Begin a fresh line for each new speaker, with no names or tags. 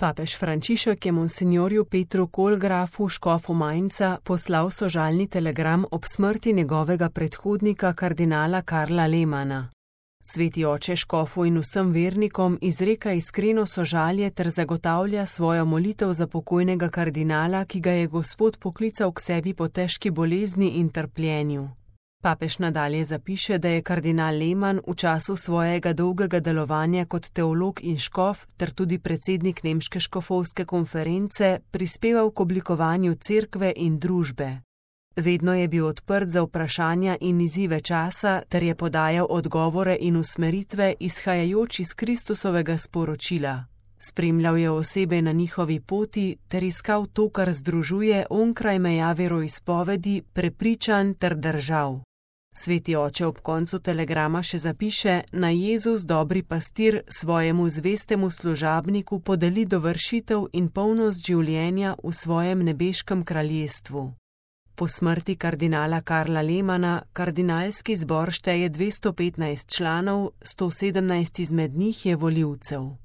Papež Frančišek je monsinjorju Petru Kolgrafu, škofu Mainza, poslal sožalni telegram ob smrti njegovega predhodnika kardinala Karla Lehmanna. Sveti oče škofu in vsem vernikom izreka iskreno sožalje ter zagotavlja svojo molitev za pokojnega kardinala, ki ga je Gospod poklical k sebi po težki bolezni in trpljenju. Papež nadalje zapiše, da je kardinal Lehmann v času svojega dolgega delovanja kot teolog in škof ter tudi predsednik Nemške škofovske konference prispeval k oblikovanju cerkve in družbe. Vedno je bil odprt za vprašanja in izzive časa ter je podajal odgovore in usmeritve izhajajoč iz Kristusovega sporočila. Spremljal je osebe na njihovi poti ter iskal to, kar združuje onkraj meja veroizpovedi, prepričanj ter držav. Sveti oče ob koncu telegrama še zapiše: naj Jezus, dobri pastir, svojemu zvestemu služabniku podeli dovršitev in polnost življenja v svojem nebeškem kraljestvu. Po smrti kardinala Karla Lehmanna kardinalski zbor šteje 215 članov, 117 izmed njih je volivcev.